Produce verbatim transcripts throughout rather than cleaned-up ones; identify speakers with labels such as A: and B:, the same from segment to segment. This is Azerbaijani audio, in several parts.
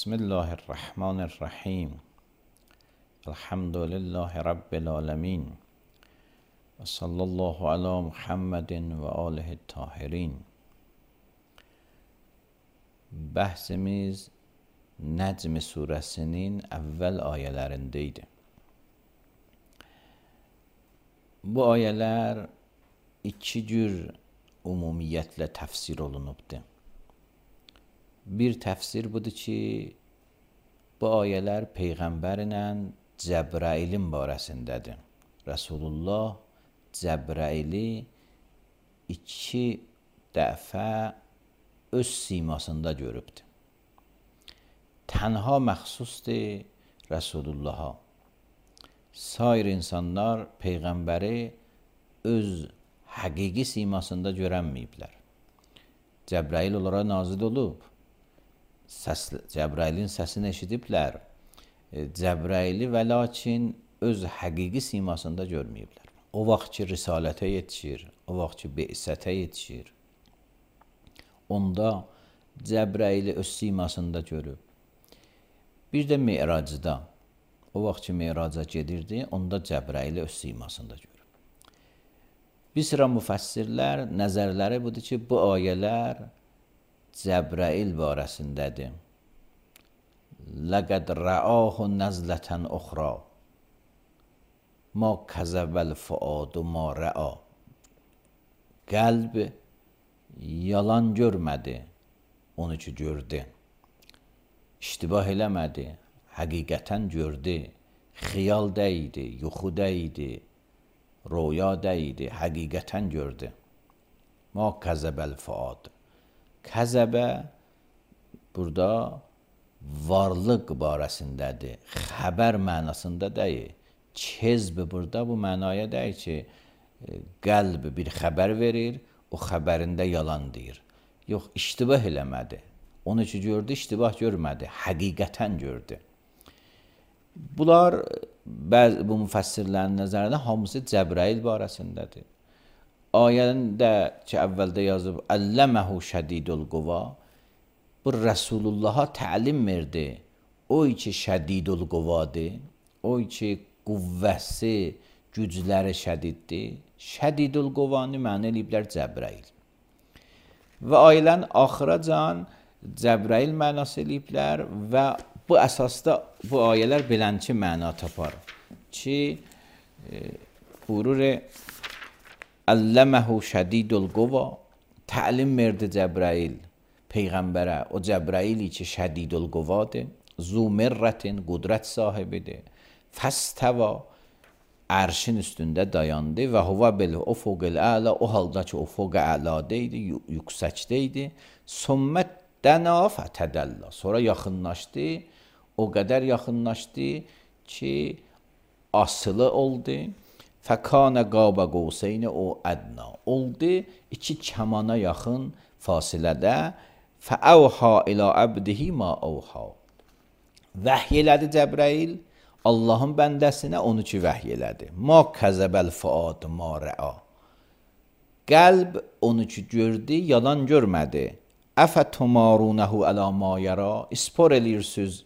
A: بسم الله الرحمن الرحیم. الحمد لله رب العالمین و صلی الله علی محمد و آله الطاهرین. Bəhsimiz Nəcm surəsinin əvvəl ayələrində idi. Bu ayələr iki cür ümumiyyətlə təfsir olunubdur. Bir təfsir budur ki, bu ayələr Peyğəmbərlə Cəbrailin barəsindədir. Rasulullah Cəbraili iki dəfə öz simasında görübdür. Tənha məxsusdur Rasulullaha. Sair insanlar Peyğəmbəri öz həqiqi simasında görənməyiblər. Cəbrail onlara nazil olub. Səs, Cəbrailin səsini eşidiblər. Cəbraili və lakin öz həqiqi simasında görməyiblər. O vaxt ki, risalətə yetişir, o vaxt ki, be'sətə yetişir. Onda Cəbraili öz simasında görüb. Bir də Mi'racda, o vaxt ki, Mi'raca gedirdi, onda Cəbraili öz simasında görüb. Bir sıra müfəssirlər nəzərləri budur ki, bu ayələr Cəbrail barəsindədir. Ləqəd rəahu nəzlətən uxra ma kəzəbəl fuadu ma rəa. Qəlb yalan görmədi, onu ki gördü. İştibah eləmədi, həqiqətən gördü. Xiyal deyildi, yuxu deyildi, röya deyildi, həqiqətən gördü. Ma kəzəbəl fuad. Kəzəbə burada varlıq barəsindədir. Xəbər mənasında deyil. Kezb burada bu mənaya deyil ki, qəlb bir xəbər verir, o xəbərində yalan deyir. Yox, iştibah eləmədi. Onu ki gördü, iştibah görmədi. Həqiqətən gördü. Bunlar bəzi bu müfəssirlərin nəzərində hamısı Cəbrail barəsindədir. Ayəndə ki, əvvəldə yazıb Əlləməhu şədidul quva, bu Rəsulullaha təlim verdi. O ki şədidul quvadır, o ki qüvvəsi, gücləri şədiddir. Şədidul quvanı mənə eləyiblər Cəbrail. Və ayələrin axıracan Cəbrail mənası eləyiblər və bu əsasda bu ayələr belənçi məna tapar ki, e, buyurur Əlləməhu şədidul quva, təlim verdi Cəbrail Peyğəmbərə. O Cəbraili ki şədidul quvadır, zu mirrətin, qudrət sahibidir. Fəstəva, ərşin üstündə dayandı və huvə bil ufuqil əla, o halda ki ufuq əladə idi, yüksəkdə idi. Sümmət dəna fətədəllə, sonra yaxınlaşdı, o qədər yaxınlaşdı ki asılı oldu. Fəkənə qaba qovseyn o ədna, oldu iki kəmana yaxın fasilədə. Fəəvhə ilə əbdihi ma əvhə, vəhy elədi Cəbrail Allahın bəndəsinə onu ki vəhy elədi. Ma kəzəbəl fuad ma rəa, qəlb onu ki gördü, yalan görmədi. Əfə tumarunəhu ələ ma yara, ispor eləyirsiniz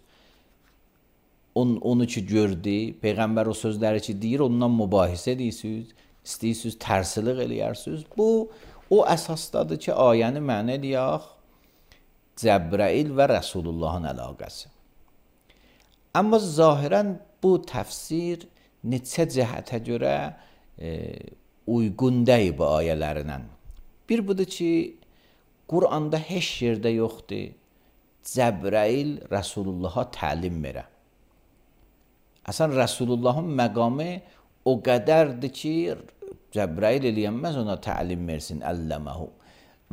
A: On, onu ki gördü, Peyğəmbər o sözləri ki deyir, ondan mübahisə edirsiniz, istəyirsiniz, tərsilik eləyərsiniz. Bu, o əsasdadır ki, ayəni mənə eləyək Cəbrail və Rəsulullahın əlaqəsi. Amma zahirən bu təfsir neçə cəhətə görə e, uyğun deyil bu ayələrinə. Bir budur ki, Quranda heç yerdə yoxdur Cəbrəil Rəsulullaha təlim verə. Əsən Rəsulullahın məqamı o qədərdir ki, Cəbrəil eləyənməz ona təlim versin, əlləməhu.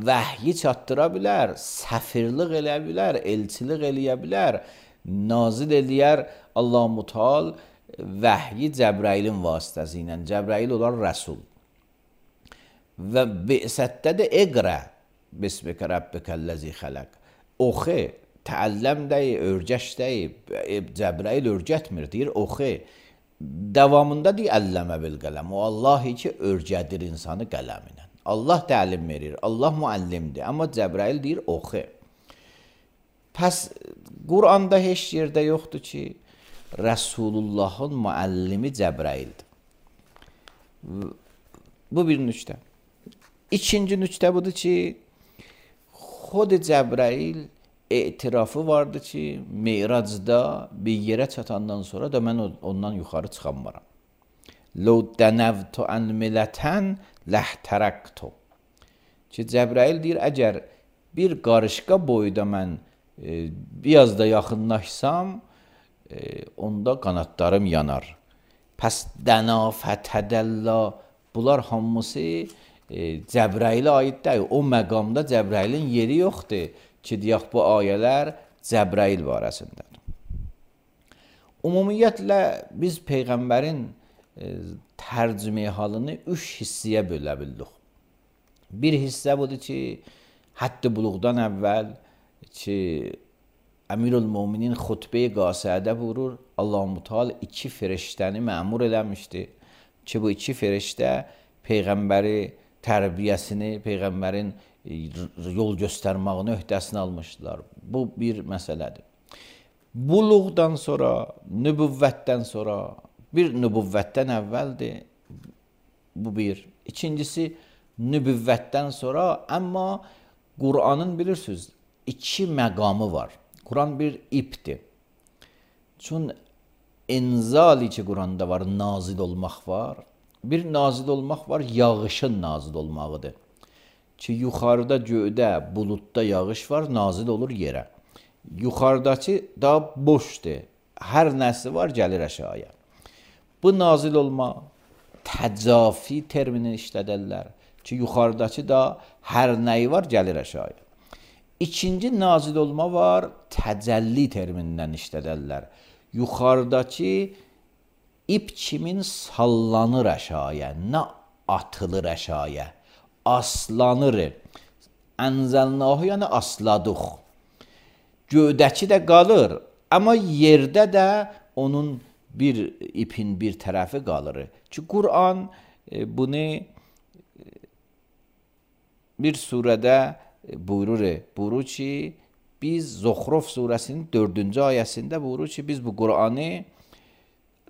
A: Vəhyi çatdıra bilər, səfirlik eləyə bilər, elçilik eləyə bilər, nazil eləyər Allah-u Teala vəhyi Cəbrailin vasitəsi ilə. Cəbrail olar Rəsul. Və bi'sətdə də iqra bismikə rabbikəlləzi xələq. Oxu, təəlləm deyi, örgəş deyi. Cəbrail örgətmir, deyir oxu. Davamında deyir əlləmə bil qələm. O Allah ki, örgədir insanı qələminə. Allah təlim verir, Allah müəllimdir. Amma Cəbrail deyir oxu. Pəs Quranda heç yerdə yoxdur ki, Rəsulullahın müəllimi Cəbraildir. Bu bir nüqtə. İkinci nüqtə budur ki, xod Cəbrail etirafı vardı ki, Meyracda bir yerə çatandan sonra da mən ondan yuxarı çıxanmaram. Ləv dənəvtu ən millətən ləhtərəktu. Ki, Cəbrail deyir, əgər bir qarışqa boyda mən e, biraz da yaxınlaşsam, e, onda qanatlarım yanar. Pəs dəna fətədəllə, bunlar hamısı e, Cəbrailə aid deyil. O məqamda Cəbrailin yeri yoxdur ki, deyək bu ayələr Cəbrail barəsindədir. Ümumiyyətlə, biz Peyğəmbərin e, tərcümə halını üç hissəyə bölə bildik. Bir hissə budur ki, Hədd-i Buluğdan əvvəl ki, Əmirül-Müminin xutbə-i qasiədə buyurur, Allah-u Teala iki firiştəni məmur eləmişdi ki, bu iki firiştə Peyğəmbəri tərbiyəsini, Peyğəmbərin yol göstərmağını öhdəsinə almışdılar. Bu bir məsələdir. Buluğdan sonra, nübüvvətdən sonra, bir nübüvvətdən əvvəldir, bu bir. İkincisi, nübüvvətdən sonra, amma Qur'anın bilirsiniz, iki məqamı var. Quran bir ipdir. Çünki enzali ki, Quranda var, nazil olmaq var. Bir nazil olmaq var, yağışın nazil olmağıdır. Ki, yuxarıda göydə, buludda yağış var, nazil olur yerə. Yuxarıdakı da boşdur. Hər nəsi var, gəlir aşağıya. Bu nazil olma, təcafi termini işlədərlər. Ki, yuxarıdakı da hər nəyi var, gəlir aşağıya. İkinci nazil olma var, təcəlli terminindən işlədərlər. Yuxarıdakı ip kimin sallanır aşağıya, nə atılır aşağıya, aslanır. Ənzəlnahu yəni asladıq. Göydəki də qalır, amma yerdə də onun bir ipin bir tərəfi qalır. Ki, Qur'an e, bunu e, bir surədə buyurur, buyurur ki, biz Zuxruf surəsinin dördüncü ayəsində buyurur ki, biz bu Qur'anı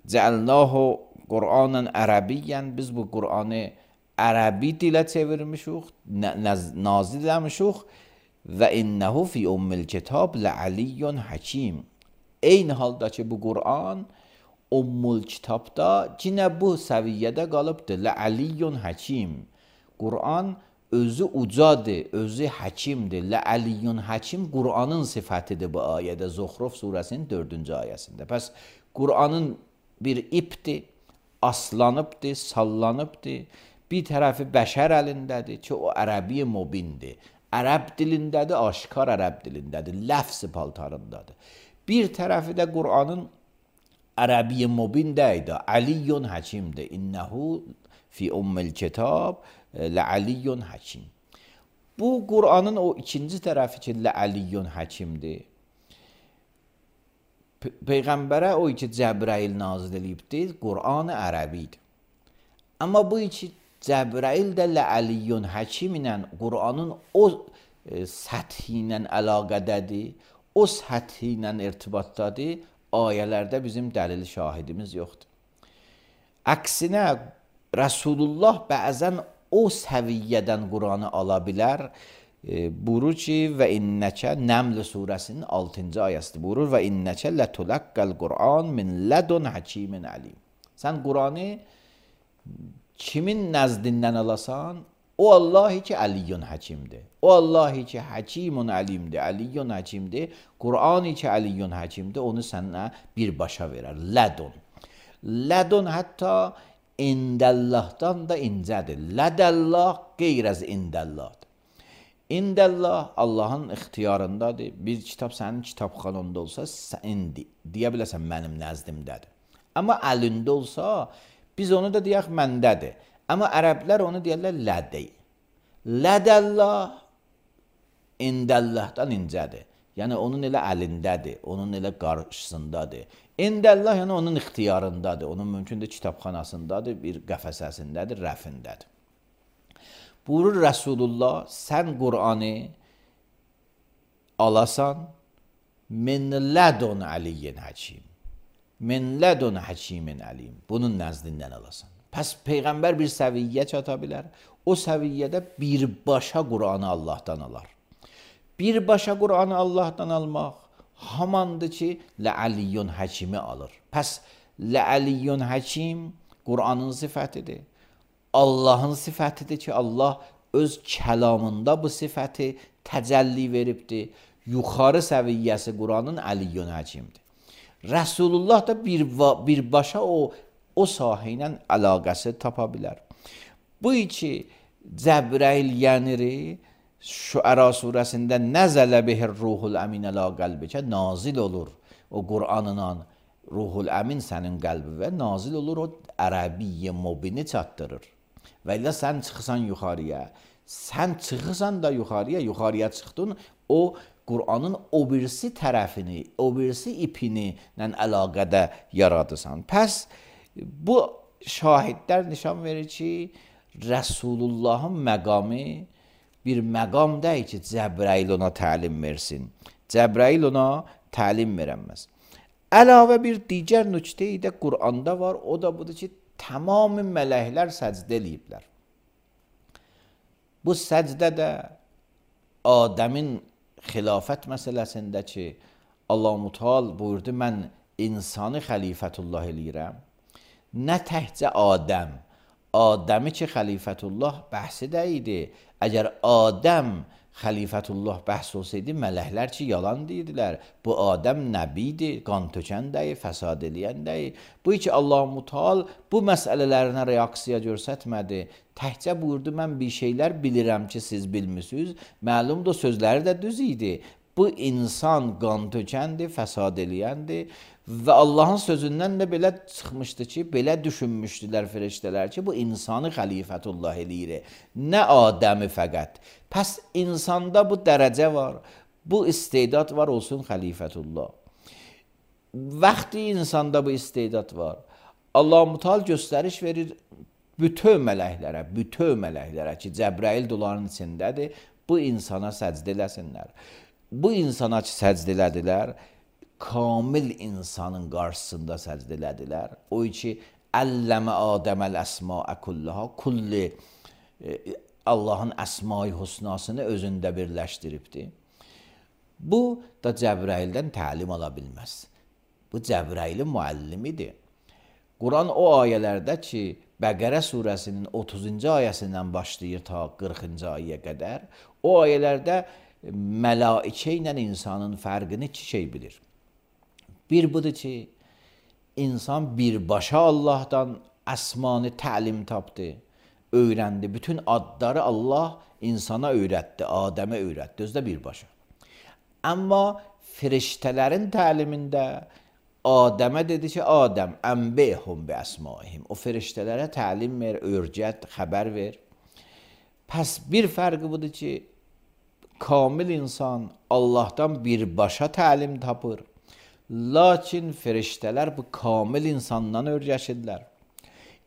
A: cəalnahu Qur'anan ərəbiyyən, biz bu Qur'anı ərəbi dilə çevirmişik, nazil eləmişik və innəhu fi ummil kitab lə'aliyyun hakim. Eyni halda ki, bu Qur'an ummul kitabda yine bu səviyyədə qalıbdır. Lə'aliyyun hakim. Qur'an özü ucadır, özü həkimdir. Lə'aliyyun hakim Qur'anın sifətidir bu ayədə. Zuxruf surəsinin dördüncü ayəsində. Pəs Qur'anın bir ipdir, aslanıbdır, sallanıbdır. Bir tərəfi bəşər əlindədir ki, o ərəbi mubindir. Ərəb dilindədir, aşkar ərəb dilindədir, ləfz paltarındadır. Bir tərəfi də Qur'anın ərəbi mubin deydi, Əliyyun həkimdir. İnnəhu fi ummil kitab lə'aliyyun həkim. Bu Qur'anın o ikinci tərəfi ki, lə'aliyyun həkimdir. Peyğəmbərə o iki Cəbrail nazil edibdir, Qur'an-ı ərəbidir. Amma bu iki Cəbrail də lə'aliyyun həkim ilə Qur'anın o e, səthi ilə əlaqədədir, o səthi ilə irtibatdadır, ayələrdə bizim dəlil şahidimiz yoxdur. Əksinə, Rəsulullah bəzən o səviyyədən Qur'anı ala bilər e, buyurur ki və innəkə Nəml surəsinin altıncı ayəsidir. Buyurur və innəkə lətulaqqal Qur'an min ladun hakimin alim. Sən Qur'anı kimin nəzdindən alasan? O Allahi ki Aliyyun Həkimdir. O Allahi ki Həkimun Alimdir, Aliyyun Həkimdir. Qur'ani ki Aliyyun Həkimdir, onu sənə birbaşa verər. Lədun. Lədun hətta indəllahdan da incədir. Lədəllah qeyr az indəllahdır. İndəllah Allahın ixtiyarındadır. Bir kitab sənin kitabxananda olsa, indi deyə biləsən mənim nəzdimdədir. Amma əlində olsa, biz onu da deyək məndədir. Amma ərəblər onu deyərlər lədəy. Lədəllah indəllahdan incədir. Yəni onun elə əlindədir, onun elə qarşısındadır. İndəllah yəni onun ixtiyarındadır, onun mümkündür kitabxanasındadır, bir qəfəsəsindədir, rəfindədir. Buyurur Rəsulullah, sən Qur'anı alasan, min lədun aliyyin həkim. Min lədun həkimin alim. Bunun nəzdindən alasan. Pəs Peyğəmbər bir səviyyə çata bilər. O səviyyədə birbaşa Qur'anı Allahdan alar. Birbaşa Qur'anı Allahdan almaq hamandır ki, Lə'aliyyun həkimi alır. Pəs Lə'aliyyun həkim Qur'anın sifətidir. Allahın sifətidir ki, Allah öz kəlamında bu sifəti təcəlli veribdir. Yuxarı səviyyəsi Qur'anın Əliyyun həkimdir. Rəsulullah da bir, birbaşa o, o sahə ilə əlaqəsi tapa bilər. Bu iki Cəbrəil yəniri Şüəra surəsində nəzələ bihir ruhul əmin əla qəlbikə nazil olur. O Qur'anla ruhul əmin sənin qəlbivə nazil olur, o ərəbiyyə mubini çatdırır. Və ilə sən çıxırsan yuxarıya, sən çıxırsan da yuxarıya, yuxarıya çıxdın, o Qur'anın o birisi tərəfini, o birisi ipini ilə əlaqədə yaradırsan. Pəs bu şahidlər nişan verir ki, Rəsulullahın məqamı bir məqam deyil ki, Cəbrəil ona təlim versin. Cəbrəil ona təlim verəməz. Əlavə bir digər nüqtə də Qur'anda var, o da budur ki, tamamı mələklər səcdə eləyiblər. Bu səcdə də Adəmin xilafət məsələsində ki, Allah-u Teala buyurdu, mən insanı xəlifətullah eləyirəm. Nə təhcə Adəm, Adəmi ki xəlifətullah bəhsi də idi. Əgər Adəm xəlifətullah bəhs olsaydı, mələklər ki yalan deyirdilər. Bu Adəm nəbidir, qan tökən deyil, fəsad eləyən deyil. Bu ki Allah-u Teala bu məsələlərinə reaksiya göstərmədi. Təhcə buyurdu, mən bir şeylər bilirəm ki siz bilmisiniz. Məlumdur sözləri də düz idi. Bu insan qan tökəndir, fəsad eləyəndir. Və Allahın sözündən də belə çıxmışdı ki, belə düşünmüşdülər fəriştələr ki, bu insanı xəlifətullah eləyir. Nə Adəmi fəqət. Pəs insanda bu dərəcə var, bu istedad var olsun xəlifətullah. Vaxtı insanda bu istedad var, Allah-u Teala göstəriş verir bütün mələklərə, bütün mələklərə ki, Cəbrəil doların içindədir, bu insana səcd eləsinlər. Bu insana ki, səcd elədilər, kamil insanın qarşısında səcd elədilər. O ki, əlləmə Adəməl əsmaə kullaha, kulli Allahın əsma-i husnasını özündə birləşdiribdir. Bu da Cəbrəildən təlim ala bilməz. Bu Cəbrəilin müəllimidir. Quran o ayələrdə ki, Bəqərə surəsinin otuzuncu ayəsindən başlayır ta qırxıncı ayəyə qədər, o ayələrdə mələikə ilə insanın fərqini iki şey bilir. Bir budur ki, insan birbaşa Allahdan əsmanı təlim tapdı, öyrəndi. Bütün adları Allah insana öyrətdi, Adəmə öyrətdi, özdə birbaşa. Amma firiştələrin təlimində Adəmə dedi ki, Adəm, ənbihum bi əsmaihim. O firiştələrə təlim ver, öyrət, xəbər ver. Pəs bir fərqi budur ki, kamil insan Allahdan birbaşa təlim tapır. Lakin firiştələr bu kamil insandan öyrəşirlər.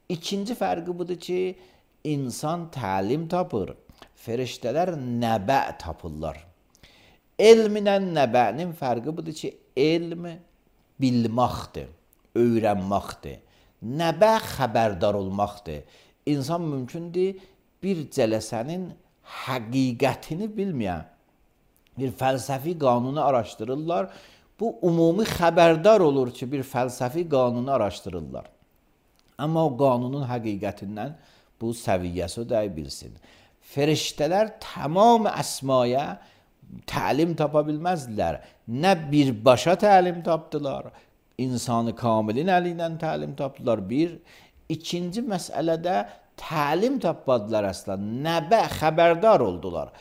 A: İkinci fərqi budur ki, insan təlim tapır. Firiştələr nəbə tapırlar. Elminlə nəbənin fərqi budur ki, elm bilməkdir, öyrənməkdir. Nəbə xəbərdar olmaqdır. İnsan mümkündür bir cələsənin həqiqətini bilməyən bir fəlsəfi qanunu araşdırırlar. Bu ümumi xəbərdar olur ki, bir fəlsəfi qanunu araşdırırlar. Amma o qanunun həqiqətindən bu səviyyəsi o dəy bilsin. Feriştələr tamam əsmaya təlim tapa bilməzdilər. Nə birbaşa təlim tapdılar, insanı kamilin əlindən təlim tapdılar. Bir, ikinci məsələdə təlim tapmadılar əslən. Nəbə xəbərdar oldular.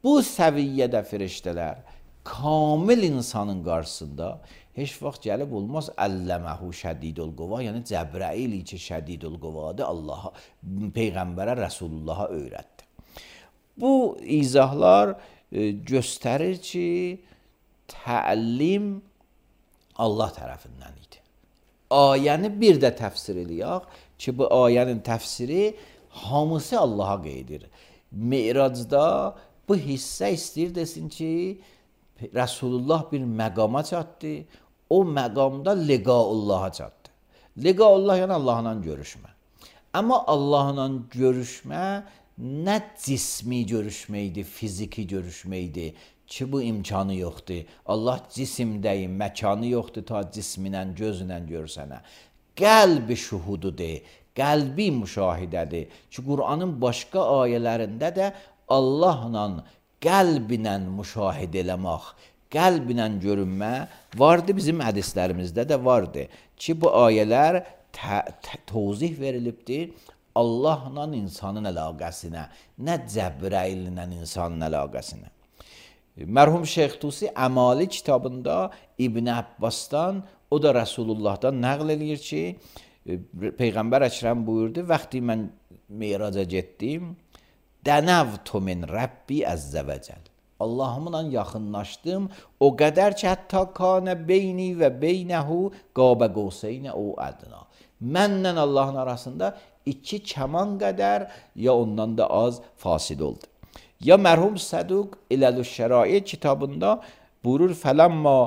A: Bu səviyyədə feriştələr kamil insanın qarşısında heç vaxt gəlib olmaz əlləməhu şədidul quvva, yəni Cəbrail ki şədidul quvvadır, Allaha, Peyğəmbərə, Rəsulullaha öyrətdi. Bu izahlar e, göstərir ki, təlim Allah tərəfindən idi. Ayəni bir də təfsir eləyək ki, bu ayənin təfsiri hamısı Allaha qeydir. Mi'racda bu hissə istəyir desin ki, Resulullah bir məqama çatdı, o məqamda liqaullaha çatdı. Liqaullah yəni Allahla görüşmə. Amma Allahla görüşmə nə cismi görüşməkdir, fiziki görüşməkdir ki, bu imkanı yoxdur. Allah cisimdəyim, məkanı yoxdur ta cisminlə, gözlə görsənə. Qəlbi şuhududur, qəlbi müşahidədir. Ki, Qur'anın başqa ayələrində də Allahla qəlblə müşahidə eləmək, qəlblə görünmə vardı, bizim hədislərimizdə də vardı ki, bu ayələr təvzih verilibdir Allahla insanın əlaqəsinə, nə Cəbraillə insanın əlaqəsinə. Mərhum Şeyx Tusi Əmali kitabında İbn Abbasdan, o da Rəsulullahdan nəql edir ki, Peyğəmbər Əkrəm buyurdu, vaxtı mən Meyraca getdim, dənəvtu min Rəbbi əzzə və cəl. Allahımla yaxınlaşdım, o qədər ki, hətta kanə beyni və beynəhu qabə qovseynə o ədna. Mənlə Allahın arasında iki kəman qədər ya ondan da az fasil oldu. Ya mərhum Səduq İləlüşşərai kitabında buyurur, fələmma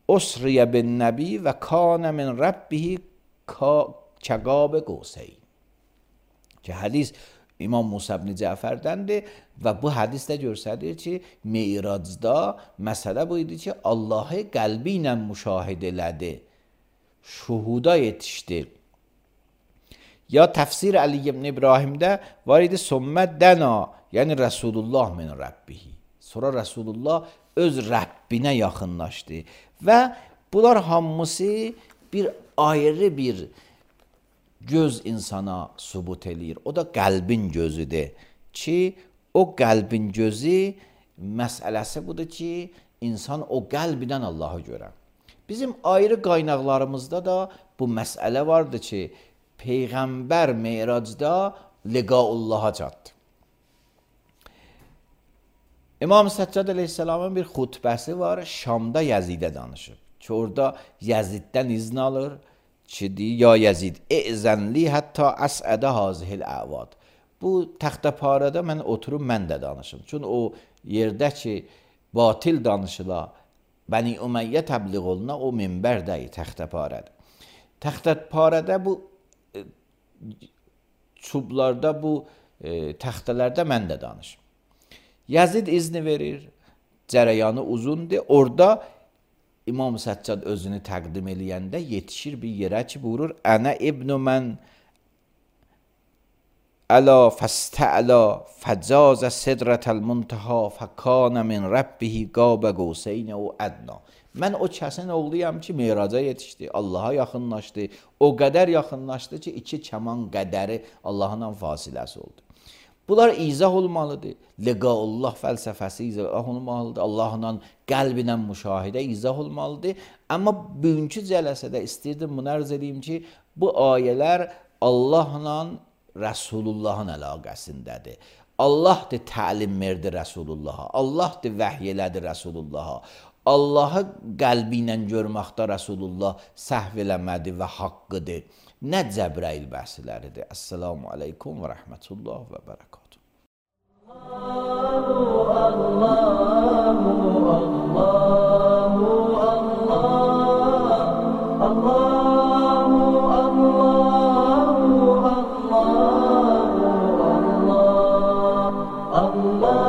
A: usriyə bin nəbi və kanə min Rəbbihi kəqabə qovseyn. Ki, hədis İmam Musa ibn Cəfərdəndir və bu hədisdə göstərir ki, Meyracda məsələ bu idi ki, Allahı qəlbi ilə müşahidə elədi, şuhuda yetişdi. Ya təfsir Əli ibn İbrahimdə var idi, sümmə dəna, yəni Rəsulullah min Rəbbihi. Sonra Rəsulullah öz Rəbbinə yaxınlaşdı və bunlar hamısı bir ayrı bir göz insana sübut eləyir. O da qəlbin gözüdür ki, o qəlbin gözü məsələsi budur ki, insan o qəlbindən Allahı görər. Bizim ayrı qaynaqlarımızda da bu məsələ vardır ki, Peyğəmbər Meyracda liqaullaha çatdı. İmam Səccad əleyhissalamın bir xutbəsi var, Şamda Yəzidə danışıb ki, orada Yəziddən izn alır ki, ya Yəzid, əzənli hətta əsədə hazihil əvad. Bu təxtəparədə mən oturub mən də danışım. Çünki o yerdə ki, batil danışıla, Bəni Ümeyyə təbliğ oluna, o minbər deyil, təxtəparədə. Təxtəparədə bu e, çublarda, bu e, təxtələrdə mən də danışım. Yəzid izni verir, cərəyanı uzundur. Orada İmam Səccad özünü təqdim eləyəndə yetişir bir yerə ki, buyurur, Ənə ibnu mən əla fəstə'la fəcazə sidrətəl muntaha fəkanə min Rəbbihi qabə qovseynə o ədna. Mən o kəsin oğluyam ki, Meyraca yetişdi, Allaha yaxınlaşdı, o qədər yaxınlaşdı ki, iki kəman qədəri Allahla fasiləsi oldu. Bunlar izah olmalıdır. Liqaullah fəlsəfəsi izah olmalıdır. Allahla qəlbinə müşahidə izah olmalıdır. Amma bugünkü cələsədə istəyirdim bunu ərz edeyim ki, bu ayələr Allahla Rəsulullahın əlaqəsindədir. Allahdır təlim verdi Rəsulullaha. Allahdır vəhy elədi Rəsulullaha. Allahı qəlbi ilə görməkdə Rəsulullah səhv eləmədi və haqqıdır. Nə Cəbrail bəhsləridir. Əssalamu aleykum və rəhmətullah və bərəkatuhu. Allahu, Allahu, Allahu, Allah, Allahu, Allahu, Allahu, Allah, Allah.
B: الله